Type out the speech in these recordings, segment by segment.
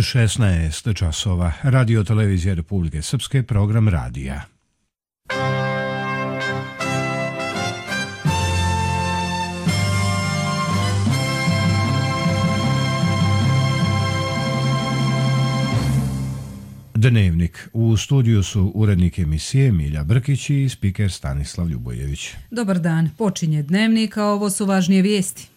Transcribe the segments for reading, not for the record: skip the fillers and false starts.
16 časova. Radio televizija Republike Srpske, program radija. Dnevnik. U studiju su urednik emisije Milja Brkić i spiker Stanislav Ljubojević. Dobar dan. Počinje Dnevnik, a ovo su važnije vijesti.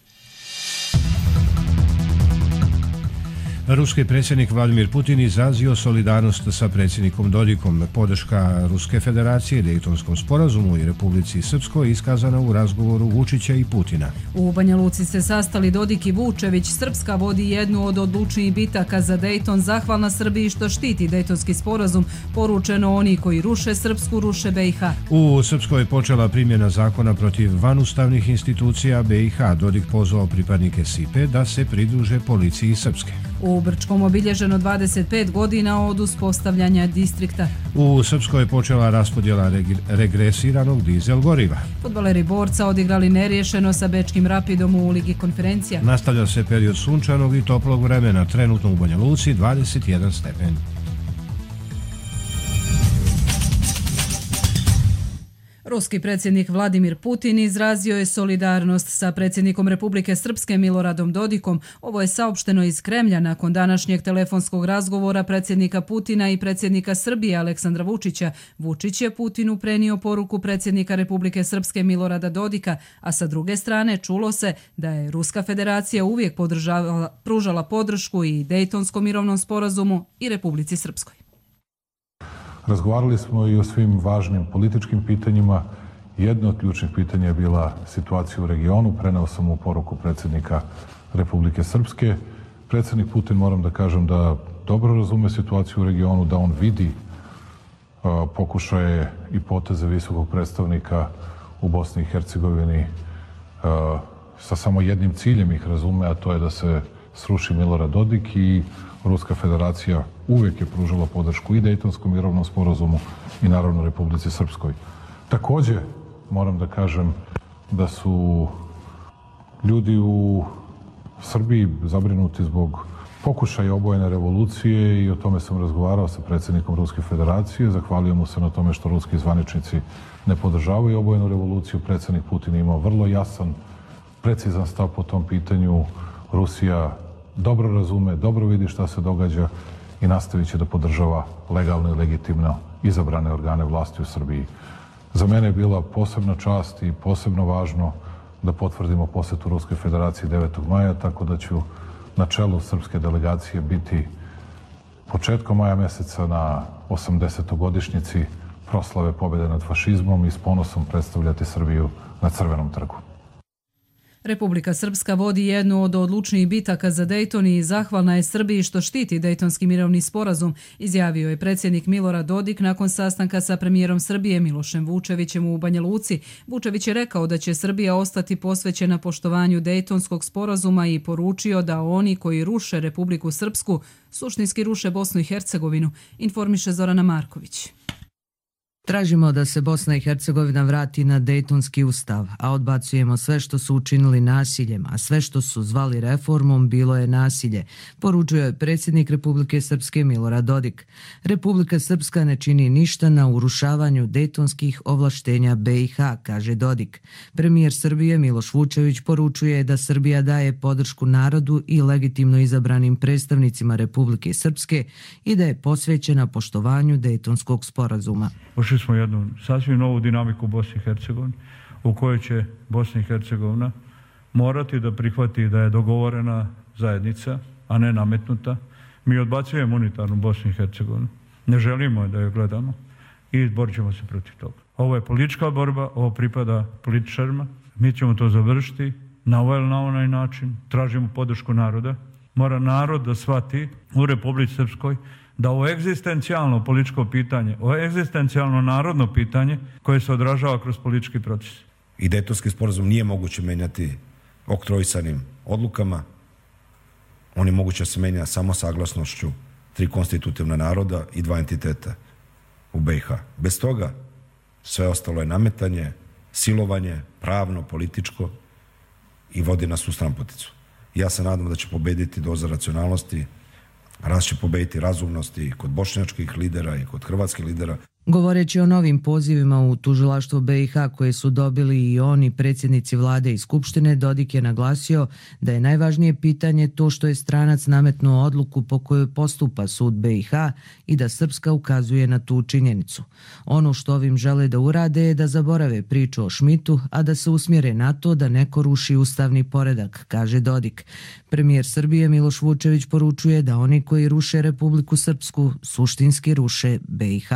Ruski predsjednik Vladimir Putin izrazio solidarnost sa predsjednikom Dodikom. Podrška Ruske federacije Dejtonskom sporazumu i Republici Srpskoj iskazana u razgovoru Vučića i Putina. U Banja Luci se sastali Dodik i Vučević. Srpska vodi jednu od odlučnijih bitaka za Dejton, zahvalna Srbiji što štiti Dejtonski sporazum. Poručeno, oni koji ruše Srpsku, ruše BiH. U Srpskoj je počela primjena zakona protiv vanustavnih institucija BiH. Dodik pozvao pripadnike SIPE da se pridruže policiji Srpske. U Brčkom obilježeno 25 godina od uspostavljanja distrikta. U Srpskoj je počela raspodjela regresiranog dizel goriva. Fudbaleri Borca odigrali neriješeno sa Bečkim Rapidom u Ligi konferencija. Nastavlja se period sunčanog i toplog vremena, trenutno u Banja Luci 21 stepen. Ruski predsjednik Vladimir Putin izrazio je solidarnost sa predsjednikom Republike Srpske Miloradom Dodikom. Ovo je saopšteno iz Kremlja nakon današnjeg telefonskog razgovora predsjednika Putina i predsjednika Srbije Aleksandra Vučića. Vučić je Putinu prenio poruku predsjednika Republike Srpske Milorada Dodika, a sa druge strane čulo se da je Ruska federacija uvijek pružala podršku i Dejtonskom mirovnom sporazumu i Republici Srpskoj. Razgovarali smo i o svim važnim političkim pitanjima. Jedno od ključnih pitanja je bila situacija u regionu. Preneo sam mu poruku predsjednika Republike Srpske. Predsjednik Putin, moram da kažem, da dobro razume situaciju u regionu, da on vidi pokušaje i poteze visokog predstavnika u Bosni i Hercegovini sa samo jednim ciljem ih razume, a to je da se sruši Milorad Dodik, i Ruska federacija uvijek je pružala podršku i Dejtonskom mirovnom sporazumu i naravno Republici Srpskoj. Također moram da kažem da su ljudi u Srbiji zabrinuti zbog pokušaja obojene revolucije i o tome sam razgovarao sa predsjednikom Ruske federacije. Zahvalio mu se na tome što ruski zvaničnici ne podržavaju obojenu revoluciju. Predsjednik Putin je imao vrlo jasan, precizan stav po tom pitanju. Rusija dobro razume, dobro vidi šta se događa i nastavit će da podržava legalno i legitimno izabrane organe vlasti u Srbiji. Za mene je bila posebna čast i posebno važno da potvrdimo posjetu Ruskoj federaciji 9. maja, tako da ću na čelu srpske delegacije biti početkom maja mjeseca na 80-godišnjici proslave pobjede nad fašizmom i s ponosom predstavljati Srbiju na Crvenom trgu. Republika Srpska vodi jednu od odlučnijih bitaka za Dejton i zahvalna je Srbiji što štiti Dejtonski mirovni sporazum, izjavio je predsjednik Milorad Dodik nakon sastanka sa premijerom Srbije Milošem Vučevićem u Banja Luci. Vučević je rekao da će Srbija ostati posvećena poštovanju Dejtonskog sporazuma i poručio da oni koji ruše Republiku Srpsku suštinski ruše Bosnu i Hercegovinu, informiše Zorana Marković. Tražimo da se Bosna i Hercegovina vrati na Dejtonski ustav, a odbacujemo sve što su učinili nasiljem, a sve što su zvali reformom bilo je nasilje, poručio je predsjednik Republike Srpske Milorad Dodik. Republika Srpska ne čini ništa na urušavanju dejtonskih ovlaštenja BiH, kaže Dodik. Premijer Srbije Miloš Vučević poručuje da Srbija daje podršku narodu i legitimno izabranim predstavnicima Republike Srpske i da je posvećena poštovanju Dejtonskog sporazuma. Ušli smo jednu sasvim novu dinamiku u Bosni i Hercegovini, u kojoj će Bosna i Hercegovina morati da prihvati da je dogovorena zajednica, a ne nametnuta. Mi odbacujemo unitarnu Bosnu i Hercegovinu. Ne želimo da je gledamo i borit ćemo se protiv toga. Ovo je politička borba, ovo pripada političarima. Mi ćemo to završiti na ovaj ili na onaj način. Tražimo podršku naroda. Mora narod da shvati u Republici Srpskoj da ovo egzistencijalno političko pitanje, ovo egzistencijalno narodno pitanje koje se odražava kroz politički proces. I Dejtonski sporazum nije moguće menjati oktroisanim odlukama. On je moguće da se menja samo saglasnošću 3 konstitutivna naroda i 2 entiteta u BiH. Bez toga sve ostalo je nametanje, silovanje, pravno, političko i vodi nas u stranputicu. Ja se nadam da će pobediti doza racionalnosti, Raz će pobediti razumnost i kod bošnjačkih lidera i kod hrvatskih lidera. Govoreći o novim pozivima u tužilaštvo BiH koje su dobili i oni predsjednici vlade i skupštine, Dodik je naglasio da je najvažnije pitanje to što je stranac nametnuo odluku po kojoj postupa sud BiH i da Srpska ukazuje na tu činjenicu. Ono što ovim žele da urade je da zaborave priču o Šmitu, a da se usmjere na to da neko ruši ustavni poredak, kaže Dodik. Premijer Srbije Miloš Vučević poručuje da oni koji ruše Republiku Srpsku suštinski ruše BiH.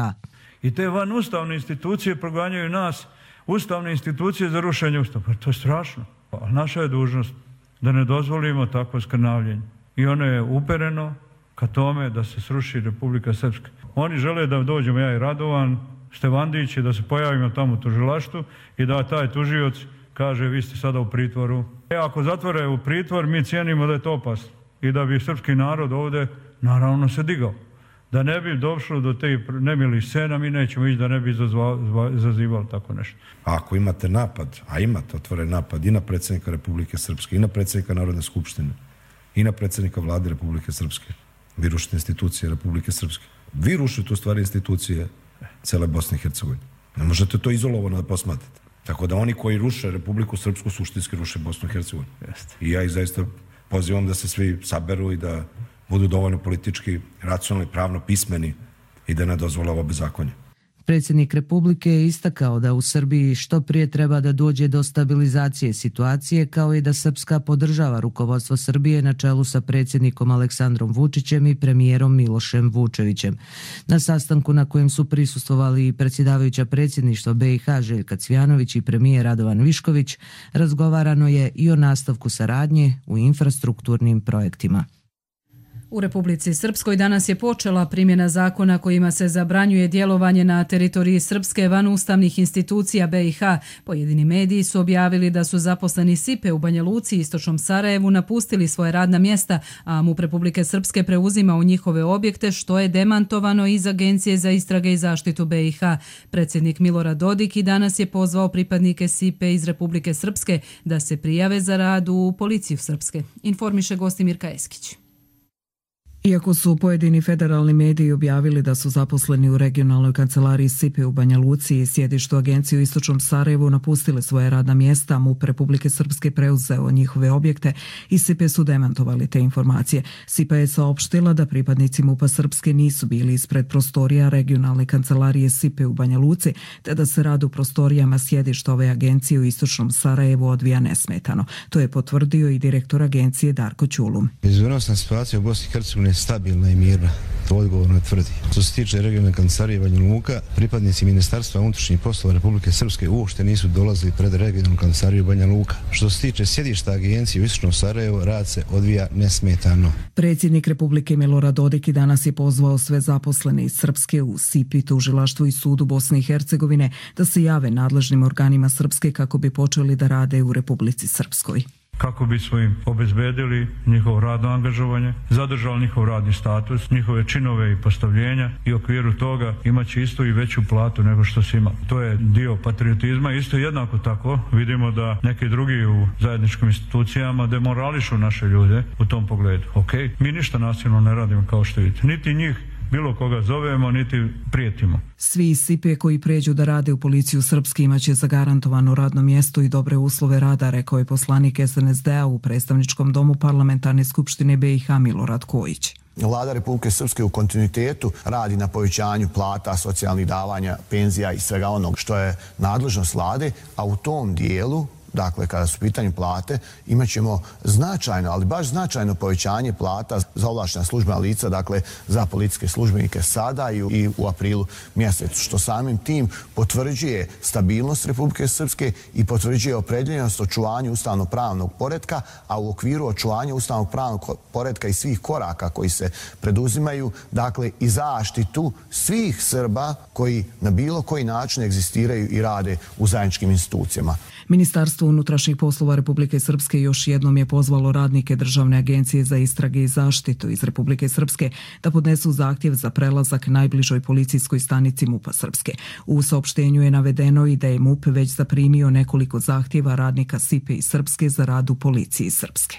I te vanustavne institucije proganjaju nas, ustavne institucije za rušenje ustava. Pa to je strašno. Pa naša je dužnost da ne dozvolimo takvo skrnavljenje. I ono je upereno ka tome da se sruši Republika Srpska. Oni žele da dođemo ja i Radovan, Stevandić i da se pojavimo tamo u tužilaštvu i da taj tužioc kaže vi ste sada u pritvoru. Ako zatvore u pritvor, mi cijenimo da je to opasno. I da bi srpski narod ovdje naravno se digao. Da ne bi došlo do te nemilih scena, mi nećemo ići da ne bi izazivali tako nešto. A ako imate napad, a imate otvoren napad i na predsjednika Republike Srpske, i na predsjednika Narodne skupštine, i na predsjednika vlade Republike Srpske, vi rušite institucije Republike Srpske. Vi rušite u stvari institucije cele Bosne i Hercegovine. Ne možete to izolovano da posmatrate. Tako da oni koji ruše Republiku Srpsku suštinski ruše Bosnu i Hercegovinu. I ja ih zaista pozivam da se svi saberu i da budu dovoljno politički, racionalni, pravno pismeni i da ne dozvole ovo bezakonje. Predsjednik Republike je istakao da u Srbiji što prije treba da dođe do stabilizacije situacije, kao i da Srpska podržava rukovodstvo Srbije na čelu sa predsjednikom Aleksandrom Vučićem i premijerom Milošem Vučevićem. Na sastanku na kojem su prisustvovali i predsjedavajuća predsjedništva BiH Željka Cvjanović i premijer Radovan Višković, razgovarano je i o nastavku saradnje u infrastrukturnim projektima. U Republici Srpskoj danas je počela primjena zakona kojima se zabranjuje djelovanje na teritoriji Srpske van ustavnih institucija BiH. Pojedini mediji su objavili da su zaposleni SIPE u Banja Luci i istočnom Sarajevu napustili svoje radna mjesta, a MUP Republike Srpske preuzima u njihove objekte, što je demantovano iz Agencije za istrage i zaštitu BiH. Predsjednik Milorad Dodik i danas je pozvao pripadnike SIPE iz Republike Srpske da se prijave za rad u policiju Srpske. Informiše Gostimirka Eskić. Iako su pojedini federalni mediji objavili da su zaposleni u regionalnoj kancelariji SIPE u Banja Luci i sjedištu agencije u istočnom Sarajevu napustile svoje radna mjesta, MUP Republike Srpske preuzeo njihove objekte i SIPE su demantovali te informacije. SIPA je saopštila da pripadnici MUP-a Srpske nisu bili ispred prostorija regionalne kancelarije SIPE u Banja Luci, te da se rad u prostorijama sjedišta ove agencije u istočnom Sarajevu odvija nesmetano. To je potvrdio i direktor agencije Darko Ćulum. Bezbednosna situacija u Bosni i Hercegovini je stabilna i mirna, to odgovorno tvrdi. Što se tiče regionalne kancelarije Banja Luka, pripadnici Ministarstva unutrašnjih poslova Republike Srpske uopšte nisu dolazili pred regionalnu kancelariju Banja Luka. Što se tiče sjedišta agencije u istočnom Sarajevu, rad se odvija nesmetano. Predsjednik Republike Milorad Dodik danas je pozvao sve zaposlene iz Srpske u SIPI, tužilaštvu i sudu Bosne i Hercegovine da se jave nadležnim organima Srpske kako bi počeli da rade u Republici Srpskoj. Kako bismo im obezbedili njihovo radno angažovanje, zadržali njihov radni status, njihove činove i postavljenja i u okviru toga imaće isto i veću platu nego što se ima. To je dio patriotizma. Isto jednako tako vidimo da neki drugi u zajedničkim institucijama demorališu naše ljude u tom pogledu. Mi ništa nasilno ne radimo kao što vidite. Niti njih bilo koga zovemo, niti prijetimo. Svi iz SIPE koji pređu da rade u policiju Srpske imaće zagarantovano radno mjesto i dobre uslove rada, rekao je poslanik SNSD-a u predstavničkom domu Parlamentarne skupštine BiH Milorad Kojić. Vlada Republike Srpske u kontinuitetu radi na povećanju plata, socijalnih davanja, penzija i svega onog što je nadležnost vlade, a u tom dijelu, dakle, kada su u pitanju plate, imat ćemo značajno, ali baš značajno povećanje plata za ovlaštena službena lica, dakle, za policijske službenike sada i u aprilu mjesecu, što samim tim potvrđuje stabilnost Republike Srpske i potvrđuje opredjeljenost očuvanju ustavno-pravnog poretka, a u okviru očuvanja ustavno-pravnog poretka i svih koraka koji se preduzimaju, dakle, i zaštitu svih Srba koji na bilo koji način egzistiraju i rade u zajedničkim institucijama. Ministarstvo unutrašnjih poslova Republike Srpske još jednom je pozvalo radnike Državne agencije za istrage i zaštitu iz Republike Srpske da podnesu zahtjev za prelazak najbližoj policijskoj stanici MUP-a Srpske. U saopštenju je navedeno i da je MUP već zaprimio nekoliko zahtjeva radnika SIPE iz Srpske za rad u policiji Srpske.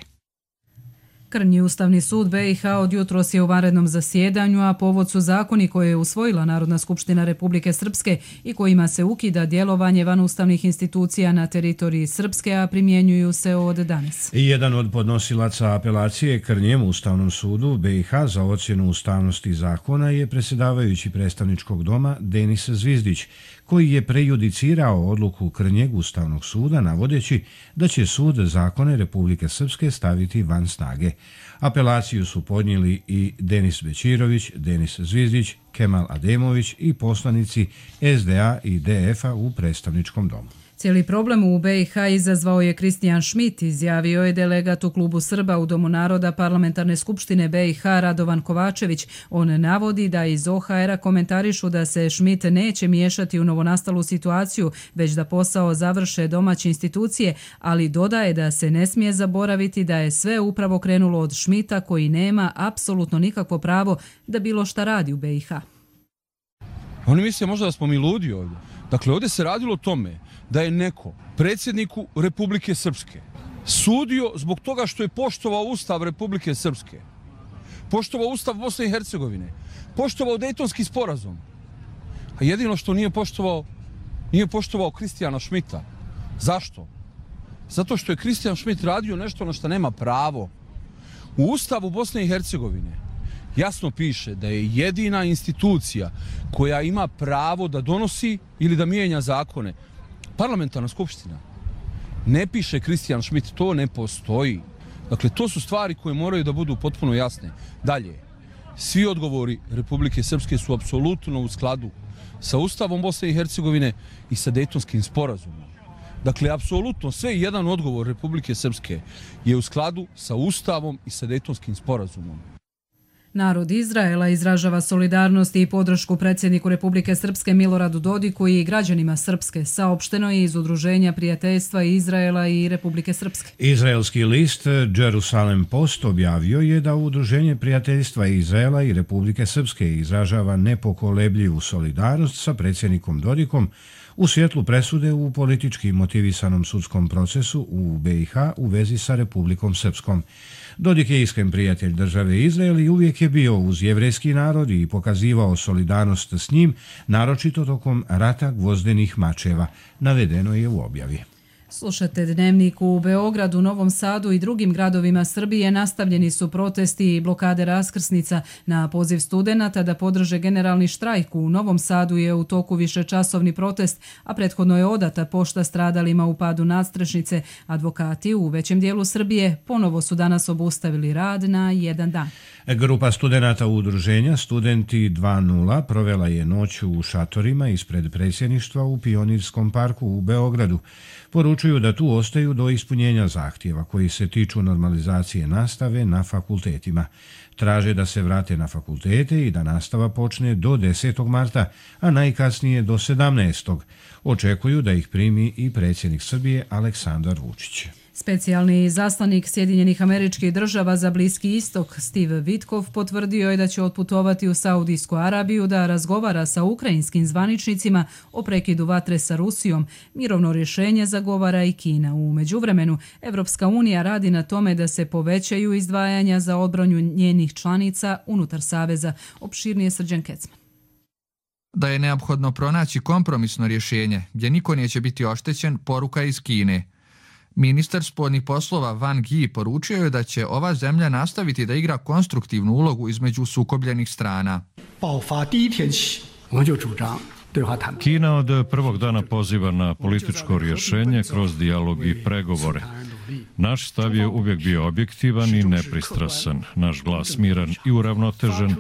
Krnji Ustavni sud BiH od jutros je u vanrednom zasjedanju, a povod su zakoni koje je usvojila Narodna skupština Republike Srpske i kojima se ukida djelovanje vanustavnih institucija na teritoriji Srpske, a primjenjuju se od danas. Jedan od podnosilaca apelacije Krnjem Ustavnom sudu BiH za ocjenu ustavnosti zakona je predsjedavajući predstavničkog doma Denis Zvizdić, koji je prejudicirao odluku Krnjeg Ustavnog suda navodeći da će sud zakone Republike Srpske staviti van snage. Apelaciju su podnijeli i Denis Bećirović, Denis Zvizdić, Kemal Ademović i poslanici SDA i DF-a u predstavničkom domu. Cijeli problem u BiH izazvao je Kristijan Šmit, izjavio je delegat u klubu Srba u Domu naroda Parlamentarne skupštine BiH Radovan Kovačević. On navodi da iz OHR-a komentarišu da se Šmit neće miješati u novonastalu situaciju, već da posao završe domaće institucije, ali dodaje da se ne smije zaboraviti da je sve upravo krenulo od Šmita, koji nema apsolutno nikakvo pravo da bilo šta radi u BiH. Oni misle možda da smo mi ludi ovdje. Dakle, ovdje se radilo o tome da je neko predsjedniku Republike Srpske sudio zbog toga što je poštovao Ustav Republike Srpske, poštovao Ustav Bosne i Hercegovine, poštovao Dejtonski sporazum. A jedino što nije poštovao Kristijana Šmita. Zašto? Zato što je Kristijan Šmit radio nešto na što nema pravo. U Ustavu Bosne i Hercegovine jasno piše da je jedina institucija koja ima pravo da donosi ili da mijenja zakone Parlamentarna skupština. Ne piše Kristijan Šmit, to ne postoji. Dakle, to su stvari koje moraju da budu potpuno jasne. Dalje, svi odgovori Republike Srpske su apsolutno u skladu sa Ustavom Bosne i Hercegovine i sa Dejtonskim sporazumom. Dakle, apsolutno sve jedan odgovor Republike Srpske je u skladu sa Ustavom i sa Dejtonskim sporazumom. Narod Izraela izražava solidarnost i podršku predsjedniku Republike Srpske Miloradu Dodiku i građanima Srpske, saopšteno je iz Udruženja prijateljstva Izraela i Republike Srpske. Izraelski list Jerusalem Post objavio je da Udruženje prijateljstva Izraela i Republike Srpske izražava nepokolebljivu solidarnost sa predsjednikom Dodikom u svjetlu presude u politički motivisanom sudskom procesu u BiH u vezi sa Republikom Srpskom. Dodik je iskren prijatelj države Izrael i uvijek je bio uz jevrejski narod i pokazivao solidarnost s njim, naročito tokom rata gvozdenih mačeva, navedeno je u objavi. Slušate Dnevnik. U Beogradu, Novom Sadu i drugim gradovima Srbije nastavljeni su protesti i blokade raskrsnica. Na poziv studenata da podrže generalni štrajk u Novom Sadu je u toku višečasovni protest, a prethodno je odata pošta stradalima u padu nadstrešnice. Advokati u većem dijelu Srbije ponovo su danas obustavili rad na jedan dan. Grupa studenata udruženja Studenti 2.0 provela je noć u šatorima ispred predsjedništva u Pionirskom parku u Beogradu. Poručuju da tu ostaju do ispunjenja zahtjeva koji se tiču normalizacije nastave na fakultetima. Traže da se vrate na fakultete i da nastava počne do 10. marta, a najkasnije do 17. Očekuju da ih primi i predsjednik Srbije Aleksandar Vučić. Specijalni izaslanik Sjedinjenih Američkih Država za Bliski istok Steve Vitkov potvrdio je da će otputovati u Saudijsku Arabiju da razgovara sa ukrajinskim zvaničnicima o prekidu vatre sa Rusijom. Mirovno rješenje zagovara i Kina. U međuvremenu, Evropska unija radi na tome da se povećaju izdvajanja za odbranu njenih članica unutar saveza. Opširnije Srđan Kecman. Da je neophodno pronaći kompromisno rješenje gdje niko neće biti oštećen, poruka iz Kine. Ministar spoljnih poslova Wang Yi poručio je da će ova zemlja nastaviti da igra konstruktivnu ulogu između sukobljenih strana. Kina od prvog dana poziva na političko rješenje kroz dijalog i pregovore. Naš stav je uvijek bio objektivan i nepristrasan, naš glas miran i uravnotežen,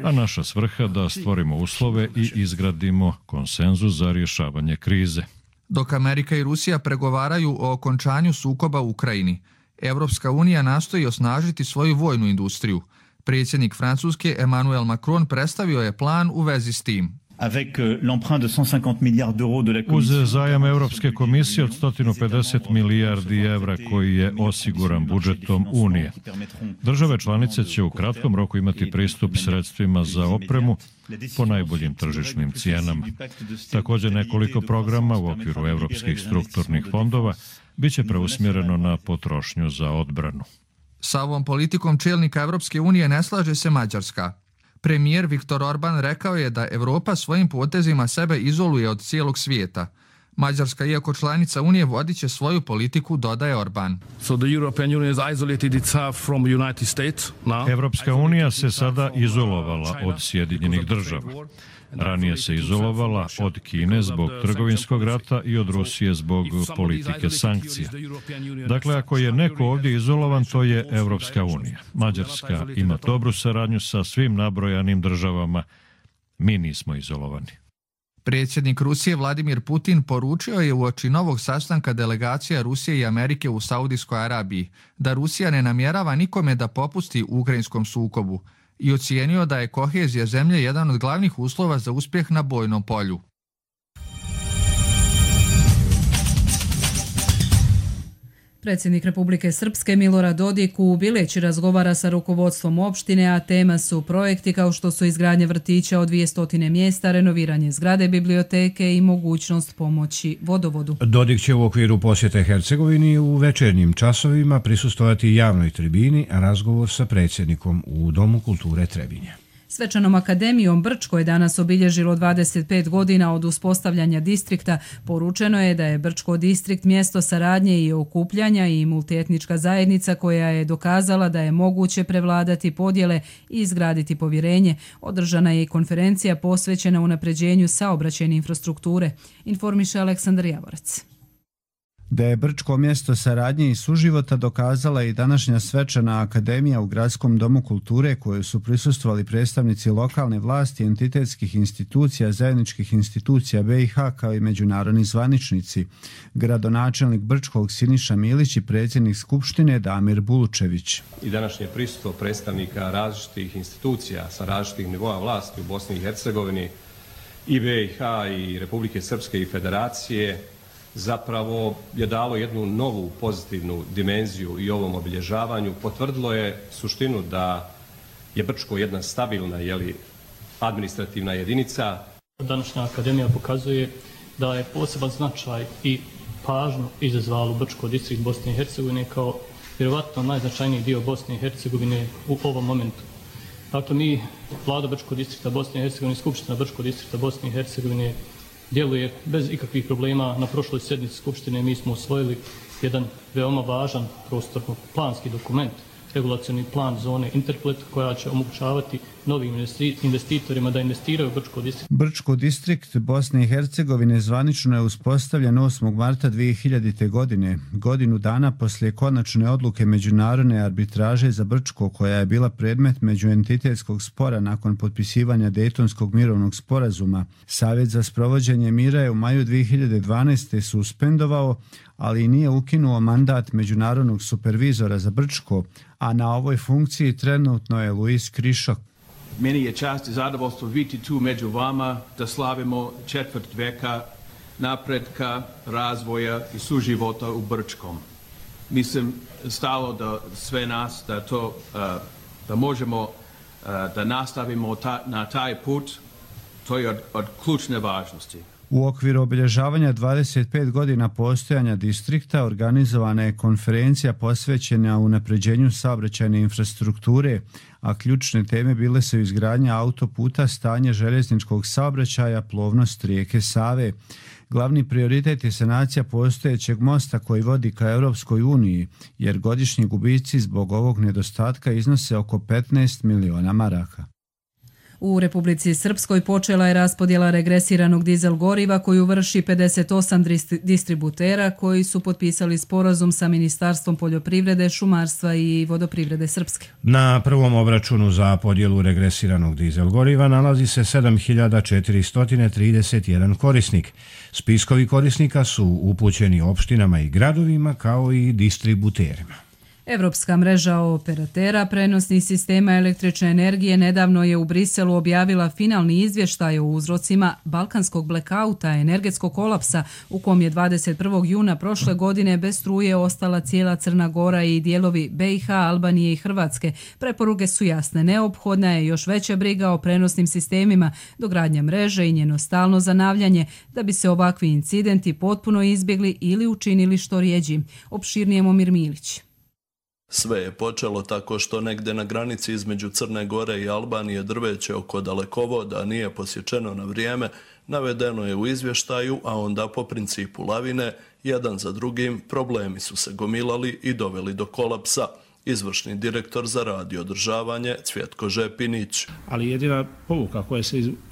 a naša svrha da stvorimo uslove i izgradimo konsenzus za rješavanje krize. Dok Amerika i Rusija pregovaraju o okončanju sukoba u Ukrajini, Evropska unija nastoji osnažiti svoju vojnu industriju. Predsjednik Francuske Emmanuel Macron predstavio je plan u vezi s tim. Uz zajam Europske komisije od 150 milijardi evra koji je osiguran budžetom Unije. Države članice će u kratkom roku imati pristup sredstvima za opremu po najboljim tržišnim cijenama. Također nekoliko programa u okviru europskih strukturnih fondova biće preusmjereno na potrošnju za odbranu. Sa ovom politikom čelnika Evropske unije ne slaže se Mađarska. Premijer Viktor Orban rekao je da Evropa svojim potezima sebe izoluje od cijelog svijeta. Mađarska, iako članica Unije, vodit će svoju politiku, dodaje Orban. Evropska unija se sada izolovala od Sjedinjenih država. Ranije se izolovala od Kine zbog trgovinskog rata i od Rusije zbog politike sankcija. Dakle, ako je neko ovdje izolovan, to je Evropska unija. Mađarska ima dobru saradnju sa svim nabrojanim državama. Mi nismo izolovani. Predsjednik Rusije Vladimir Putin poručio je uoči novog sastanka delegacija Rusije i Amerike u Saudijskoj Arabiji da Rusija ne namjerava nikome da popusti u ukrajinskom sukobu i ocijenio da je kohezija zemlje jedan od glavnih uslova za uspjeh na bojnom polju. Predsjednik Republike Srpske Milorad Dodik u Bileći razgovara sa rukovodstvom opštine, a tema su projekti kao što su izgradnja vrtića od 200 mjesta, renoviranje zgrade biblioteke i mogućnost pomoći vodovodu. Dodik će u okviru posjete Hercegovini u večernjim časovima prisustvovati javnoj tribini, a razgovor sa predsjednikom u Domu kulture Trebinje. Svečanom akademijom Brčko je danas obilježilo 25 godina od uspostavljanja distrikta. Poručeno je da je Brčko distrikt mjesto saradnje i okupljanja i multietnička zajednica koja je dokazala da je moguće prevladati podjele i izgraditi povjerenje. Održana je i konferencija posvećena unapređenju saobraćajne infrastrukture, informiše Aleksandar Javorac. Da je Brčko mjesto saradnje i suživota dokazala i današnja svečana akademija u Gradskom domu kulture koju su prisustvovali predstavnici lokalne vlasti, entitetskih institucija, zajedničkih institucija BiH kao i međunarodni zvaničnici. Gradonačelnik Brčkog Siniša Milić i predsjednik Skupštine Damir Bulučević. I današnje prisustvo predstavnika različitih institucija sa različitih nivoa vlasti u Bosni i Hercegovini i BiH i Republike Srpske i Federacije zapravo je dalo jednu novu pozitivnu dimenziju i ovom obilježavanju. Potvrdilo je suštinu da je Brčko jedna stabilna administrativna jedinica. Današnja akademija pokazuje da je poseban značaj i pažnju izazvalo Brčko distrikt Bosne i Hercegovine kao vjerovatno najznačajniji dio Bosne i Hercegovine u ovom momentu. Dakle, mi, Vlada Brčko distrikta Bosne i Hercegovine, Skupština Brčko distrikta Bosne i Hercegovine djeluje bez ikakvih problema. Na prošloj sjednici Skupštine mi smo usvojili jedan veoma važan prostorno-planski dokument, regulacioni plan zone Interplet, koja će omogućavati novim investitorima da investiraju u Brčko distrikt. Brčko distrikt Bosne i Hercegovine zvanično je uspostavljen 8. marta 2000. godine, godinu dana poslije konačne odluke međunarodne arbitraže za Brčko, koja je bila predmet međuentitetskog spora nakon potpisivanja Dejtonskog mirovnog sporazuma. Savjet za sprovođenje mira je u maju 2012. suspendovao, ali nije ukinuo mandat međunarodnog supervizora za Brčko, a na ovoj funkciji trenutno je Luis Krišok. Meni je čast i zadovoljstvo biti tu među vama da slavimo četvrt veka napretka, razvoja i suživota u Brčkom. Mislim stalo da sve nas da možemo da nastavimo na taj put, to je od ključne važnosti. U okviru obilježavanja 25 godina postojanja distrikta organizovana je konferencija posvećena unapređenju saobraćajne infrastrukture, a ključne teme bile su izgradnja autoputa, stanje željezničkog saobraćaja, plovnost rijeke Save. Glavni prioritet je sanacija postojećeg mosta koji vodi ka Europskoj uniji, jer godišnji gubici zbog ovog nedostatka iznose oko 15 miliona maraka. U Republici Srpskoj počela je raspodjela regresiranog dizel goriva koju vrši 58 distributera koji su potpisali sporazum sa Ministarstvom poljoprivrede, šumarstva i vodoprivrede Srpske. Na prvom obračunu za podjelu regresiranog dizel goriva nalazi se 7431 korisnik. Spiskovi korisnika su upućeni opštinama i gradovima kao i distributerima. Evropska mreža operatera prenosnih sistema električne energije nedavno je u Briselu objavila finalni izvještaj o uzrocima balkanskog blackouta, energetskog kolapsa, u kom je 21. juna prošle godine bez struje ostala cijela Crna Gora i dijelovi BiH, Albanije i Hrvatske. Preporuke su jasne, neophodna je još veća briga o prenosnim sistemima, dogradnja mreže i njeno stalno zanavljanje, da bi se ovakvi incidenti potpuno izbjegli ili učinili što rijeđi. Opširnije Momir Milić. Sve je počelo tako što negde na granici između Crne Gore i Albanije drveće oko dalekovoda nije posječeno na vrijeme, navedeno je u izvještaju, a onda po principu lavine, jedan za drugim, problemi su se gomilali i doveli do kolapsa. Izvršni direktor za rad i održavanje Cvjetko Žepinić. Ali jedina povuka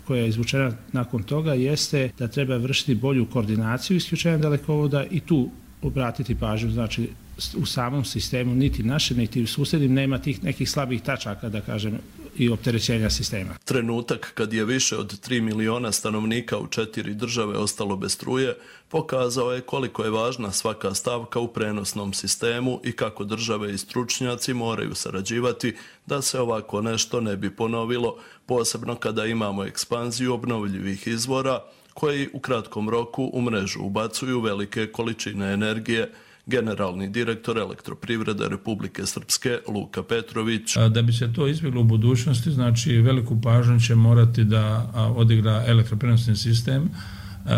koja je izvučena nakon toga jeste da treba vršiti bolju koordinaciju isključenja dalekovoda i tu obratiti pažnju, znači u samom sistemu niti naše, niti u susjednim nema tih nekih slabih tačaka, da kažem, i opterećenja sistema. Trenutak kad je više od 3 miliona stanovnika u 4 države ostalo bez struje, pokazao je koliko je važna svaka stavka u prenosnom sistemu i kako države i stručnjaci moraju sarađivati da se ovako nešto ne bi ponovilo, posebno kada imamo ekspanziju obnovljivih izvora koji u kratkom roku u mrežu ubacuju velike količine energije. Generalni direktor Elektroprivrede Republike Srpske Luka Petrović. Da bi se to izbjeglo u budućnosti, znači veliku pažnju će morati da odigra elektroprenosni sistem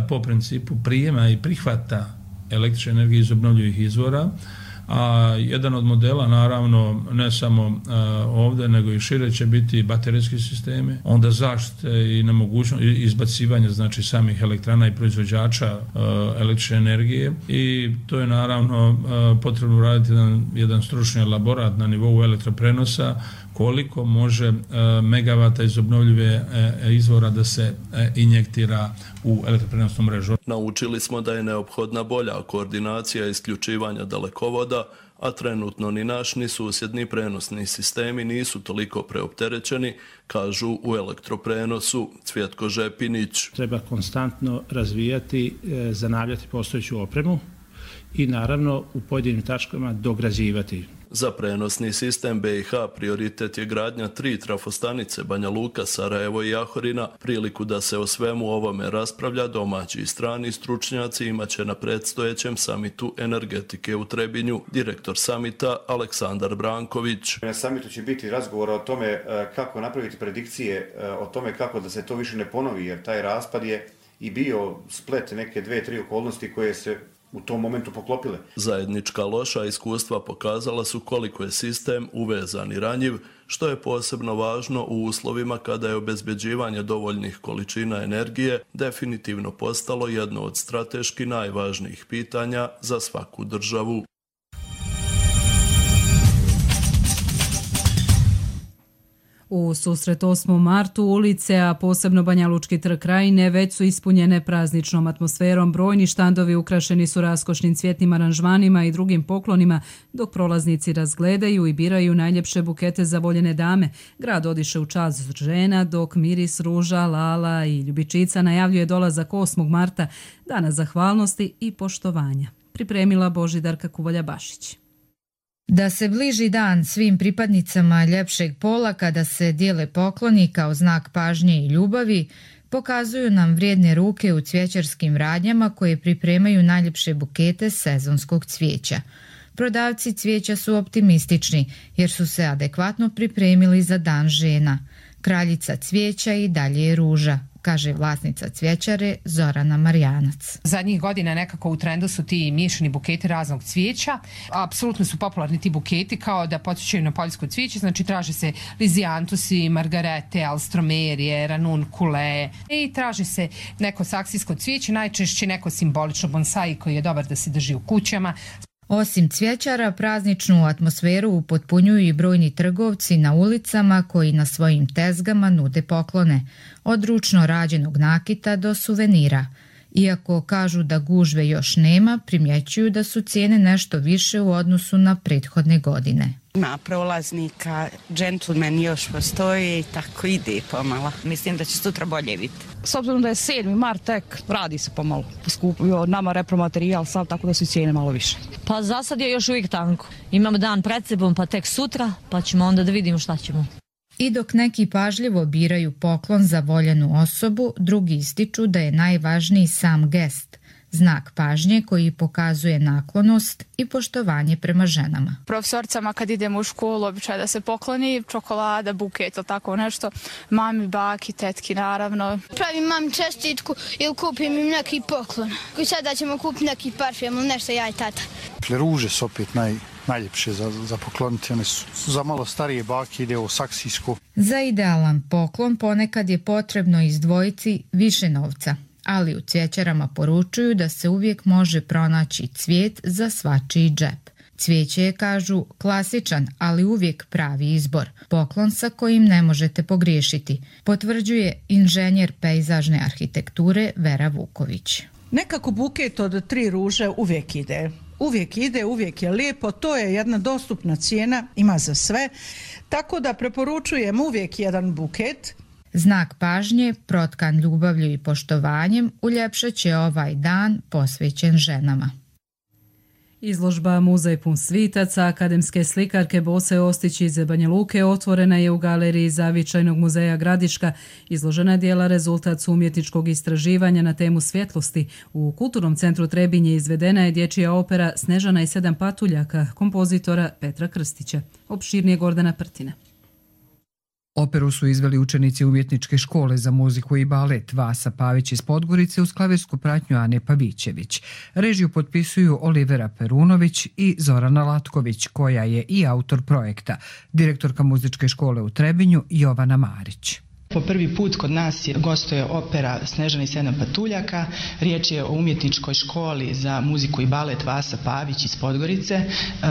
po principu prijema i prihvata električne energije iz obnovljivih izvora. A jedan od modela, naravno, ne samo ovdje, nego i šire će biti baterijski sistemi, onda zaštite i nemogućnost izbacivanja, znači, samih elektrana i proizvođača električne energije, i to je naravno potrebno raditi jedan stručni elaborat na nivou elektroprenosa, koliko može megavata iz obnovljive izvora da se injektira u elektroprenosnu mrežu. Naučili smo da je neophodna bolja koordinacija isključivanja dalekovoda, a trenutno ni naš ni susjedni prenosni sistemi nisu toliko preopterećeni, kažu u elektroprenosu Cvjetko Žepinić. Treba konstantno razvijati, zanavljati postojeću opremu i naravno u pojedinim tačkama dograđivati. Za prenosni sistem BiH prioritet je gradnja 3 trafostanice Banja Luka, Sarajevo i Jahorina. Priliku da se o svemu ovome raspravlja domaći i strani stručnjaci imaće na predstojećem samitu energetike u Trebinju. Direktor samita Aleksandar Branković. Na samitu će biti razgovora o tome kako napraviti predikcije, o tome kako da se to više ne ponovi, jer taj raspad je i bio splet neke 2-3 okolnosti koje se u tom momentu poklopile. Zajednička loša iskustva pokazala su koliko je sistem uvezan i ranjiv, što je posebno važno u uslovima kada je obezbeđivanje dovoljnih količina energije definitivno postalo jedno od strateški najvažnijih pitanja za svaku državu. U susret 8. martu ulice, a posebno Banjalučki trg Krajine, već su ispunjene prazničnom atmosferom. Brojni štandovi ukrašeni su raskošnim cvjetnim aranžmanima i drugim poklonima, dok prolaznici razgledaju i biraju najljepše bukete za voljene dame. Grad odiše u čast žena, dok miris ruža, lala i ljubičica najavljuje dolazak 8. marta, dana zahvalnosti i poštovanja. Pripremila Božidarka Kuvalja-Bašić. Da se bliži dan svim pripadnicama ljepšeg pola kada se dijele pokloni kao znak pažnje i ljubavi, pokazuju nam vrijedne ruke u cvjećarskim radnjama koje pripremaju najljepše bukete sezonskog cvijeća. Prodavci cvijeća su optimistični jer su se adekvatno pripremili za dan žena. Kraljica cvijeća i dalje je ruža, kaže vlasnica cvjećare Zorana Marjanac. Zadnjih godina nekako u trendu su ti miješani buketi raznog cvijeća. Apsolutno su popularni ti buketi kao da podsjećaju na poljsko cvijeće, znači traže se lizijantusi, margarete, alstromerije, ranunkule i traže se neko saksijsko cvijeće, najčešće neko simbolično bonsai koji je dobar da se drži u kućama. Osim cvjećara, prazničnu atmosferu upotpunjuju i brojni trgovci na ulicama koji na svojim tezgama nude poklone, od ručno rađenog nakita do suvenira. Iako kažu da gužve još nema, primjećuju da su cijene nešto više u odnosu na prethodne godine. Ima prolaznika, džentlmen još postoji i tako ide pomalo. Mislim da će sutra bolje biti. S obzirom da je 7. mart, tek radi se pomalo. Poskupio nama repromaterijal sav, tako da su cijene malo više. Pa za sad je još uvijek tanko. Imamo dan pred sebom, pa tek sutra, pa ćemo onda da vidimo šta ćemo. I dok neki pažljivo biraju poklon za voljenu osobu, drugi ističu da je najvažniji sam gest. znak pažnje koji pokazuje naklonost i poštovanje prema ženama. Profesorcama kad idemo u školu običaj da se pokloni čokolada, buket ili tako nešto. Mami, baki, tetki naravno. Pravim mami čestitku ili kupim im neki poklon. I sada ćemo kupiti neki parfem ili nešto ja i tata. Ruže su opet najljepše za pokloniti. One su za malo starije bake, ide u saksijsku. Za idealan poklon ponekad je potrebno izdvojiti više novca, ali u cvjećarama poručuju da se uvijek može pronaći cvijet za svačiji džep. Cvijeće je, kažu, klasičan, ali uvijek pravi izbor. Poklon sa kojim ne možete pogriješiti, potvrđuje inženjer pejzažne arhitekture Vera Vuković. Nekako buket od 3 ruže uvijek ide. Uvijek je lijepo, to je jedna dostupna cijena, ima za sve, tako da preporučujem uvijek jedan buket. Znak pažnje, protkan ljubavlju i poštovanjem, uljepšat će ovaj dan posvećen ženama. Izložba Muzej pun svitaca akademske slikarke Bose Ostić iz Banja Luke otvorena je u galeriji Zavičajnog muzeja Gradiška. Izložena djela rezultat su umjetničkog istraživanja na temu svjetlosti. U Kulturnom centru Trebinje izvedena je dječja opera Snežana i 7 patuljaka kompozitora Petra Krstića. Opširnije Gordana Prtina. Operu su izveli učenici Umjetničke škole za muziku i balet Vasa Pavić iz Podgorice uz klavirsku pratnju Ane Pavićević. Režiju potpisuju Olivera Perunović i Zorana Latković, koja je i autor projekta, direktorka muzičke škole u Trebinju Jovana Marić. Po prvi put kod nas gostuje opera Snežana i 7 patuljaka. Riječ je o umjetničkoj školi za muziku i balet Vasa Pavić iz Podgorice.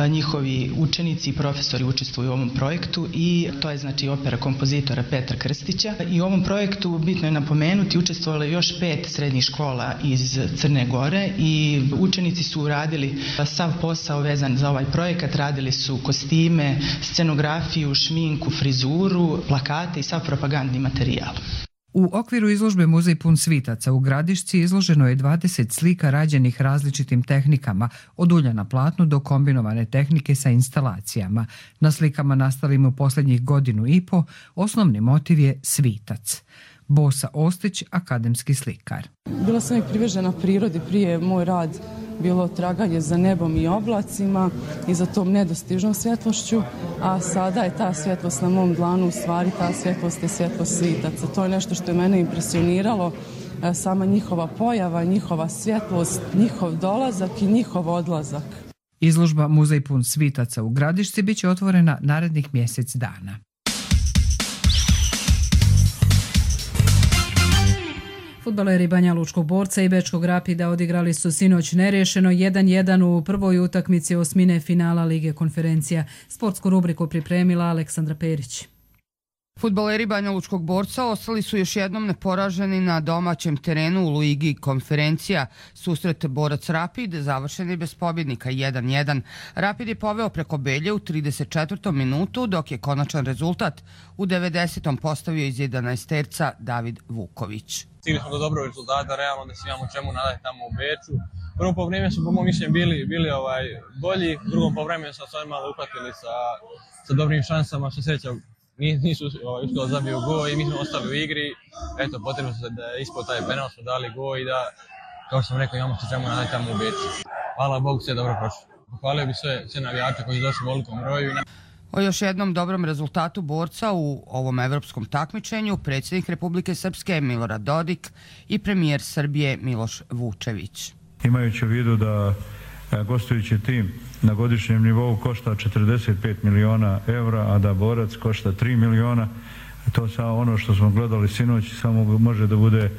Njihovi učenici i profesori učestvuju u ovom projektu i to je znači opera kompozitora Petra Krstića. I u ovom projektu bitno je napomenuti učestvovalo je još 5 srednjih škola iz Crne Gore i učenici su radili sav posao vezan za ovaj projekat. Radili su kostime, scenografiju, šminku, frizuru, plakate i sav propagandni materijal. U okviru izložbe Muzej pun svitaca u Gradišci izloženo je 20 slika rađenih različitim tehnikama, od ulja na platnu do kombinovane tehnike sa instalacijama. Na slikama nastalim u posljednjih 1.5 godina osnovni motiv je svitac. Bosa Ostić, akademski slikar. Bila sam uvijek privržena prirodi, prije moj rad bilo traganje za nebom i oblacima i za tom nedostižnom svjetlošću, a sada je ta svjetlost na mom dlanu, u stvari ta svjetlost je svjetlost svitaca. To je nešto što je mene impresioniralo, sama njihova pojava, njihova svjetlost, njihov dolazak i njihov odlazak. Izložba Muzej pun svitaca u Gradišci bit će otvorena narednih mjesec dana. Fudbaleri Banja Lučkog Borca i Bečkog Rapida odigrali su sinoć neriješeno 1-1 u prvoj utakmici osmine finala Lige konferencija. Sportsku rubriku pripremila Aleksandra Perić. Fudbaleri Banja Lučkog Borca ostali su još jednom neporaženi na domaćem terenu u Ligi konferencija. Susret Borac Rapid završen je bez pobjednika 1-1. Rapid je poveo preko Belje u 34. minutu, dok je konačan rezultat u 90. postavio iz 11-terca David Vuković. Stigli smo do dobrog rezultata, realno da se imamo čemu nadati tamo u Beču. Prvo povremenu su po mom mišljenju bili bolji, u drugom povremenu su se malo uhvatili sa dobrim šansama, što sreća nisu uspjeli da zabiju gol i mi smo ostali u igri. Eto, potrebno se da je ispod taj penal, smo dali gol i da, kao što sam rekao, imamo se čemu nadati tamo u Beču. Hvala Bogu, sve dobro prošlo. Pohvalio bi sve navijače koji su došli u velikom broju. O još jednom dobrom rezultatu Borca u ovom evropskom takmičenju predsjednik Republike Srpske Milorad Dodik i premijer Srbije Miloš Vučević. Imajući u vidu da gostujući tim na godišnjem nivou košta 45 miliona evra, a da Borac košta 3 miliona, to sa ono što smo gledali sinoć samo može da bude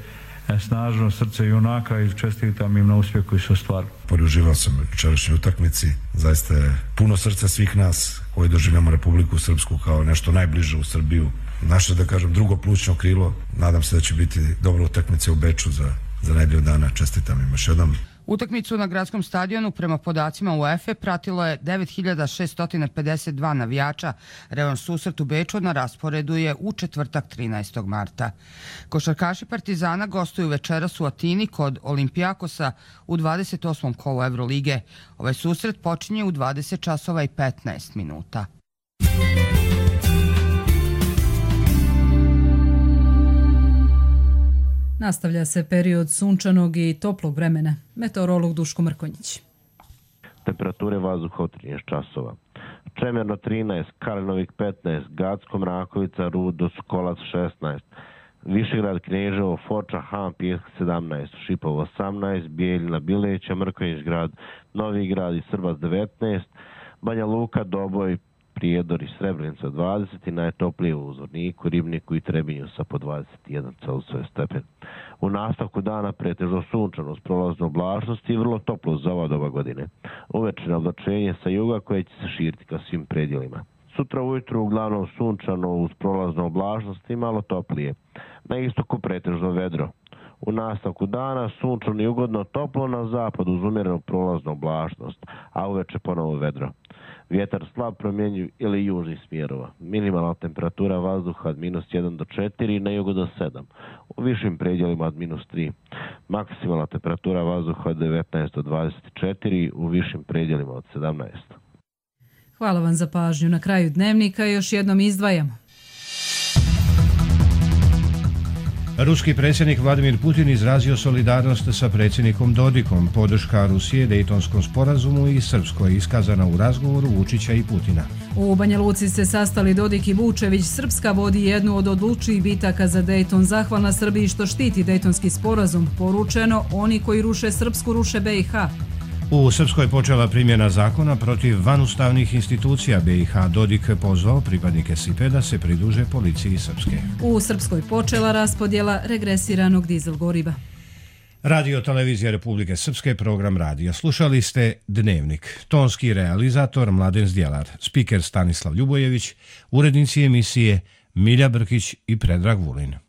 snažno srce junaka i čestitam im na uspjeh koji su ostvarili. Uživao sam u jučerašnjoj utakmici, zaista je puno srca svih nas koji doživljamo Republiku Srpsku kao nešto najbliže u Srbiju. Naše, da kažem, drugo plućno krilo. Nadam se da će biti dobra utakmica u Beču za nedelju dana. Čestitam im još jednom. Utakmicu na gradskom stadionu prema podacima UEFA pratilo je 9652 navijača. Revanš susret u Beču na rasporedu je u četvrtak 13. marta. Košarkaši Partizana gostuju večeras u Atini kod Olimpijakosa u 28. kolu Evrolige. Ovaj susret počinje u 20 časova i 15 minuta. Nastavlja se period sunčanog i toplog vremena. Meteorolog Duško Mrkonjić. Temperature vazduha od 13 časova. Čemerno 13, Kalinovik 15, Gacko, Mrakovica, Rudo, Skolac 16, Višegrad, Kneževo, Foča, Han, Pijesk 17, Šipovo 18, Bijeljina, Bileća, Mrkonjić grad, Novi grad i Srbac 19, Banja Luka, Doboj, Prijedor i Srebrenica 20 i najtoplije u Zvorniku, Ribniku i Trebinju sa po 21 Celzijusov stepen. U nastavku dana pretežno sunčano uz prolaznu oblačnost i vrlo toplo za ova doba godine. Uvečernje oblačenje sa juga koje će se širiti ka svim predjelima. Sutra ujutru uglavnom sunčano uz prolaznu oblačnost i malo toplije. Na istoku pretežno vedro. U nastavku dana sunčano i ugodno toplo na zapadu uz umjerenu prolaznu oblačnost, a uveče ponovo vedro. Vjetar slab promjenjiv ili južnih smjerova. Minimalna temperatura vazduha od -1 do 4, na jugu do 7. U višim predjelima od -3. Maksimalna temperatura vazduha od 19 do 24, u višim predjelima od 17. Hvala vam za pažnju. Na kraju dnevnika još jednom izdvajamo. Ruski predsjednik Vladimir Putin izrazio solidarnost sa predsjednikom Dodikom. Podrška Rusije Dejtonskom sporazumu i Srpskoj iskazana u razgovoru Vučića i Putina. U Banja Luci se sastali Dodik i Vučević. Srpska vodi jednu od odlučijih bitaka za Dejton. Zahvalna Srbiji što štiti Dejtonski sporazum. Poručeno, oni koji ruše Srpsku ruše BiH. U Srpskoj počela primjena zakona protiv vanustavnih institucija BiH. Dodik pozvao pripadnike SIPE da se pridruže policiji Srpske. U Srpskoj počela raspodjela regresiranog dizel goriva. Radio Televizija Republike Srpske, program radija. Slušali ste Dnevnik. Tonski realizator Mladen Zdjelar, spiker Stanislav Ljubojević, urednici emisije Milja Brkić i Predrag Vulin.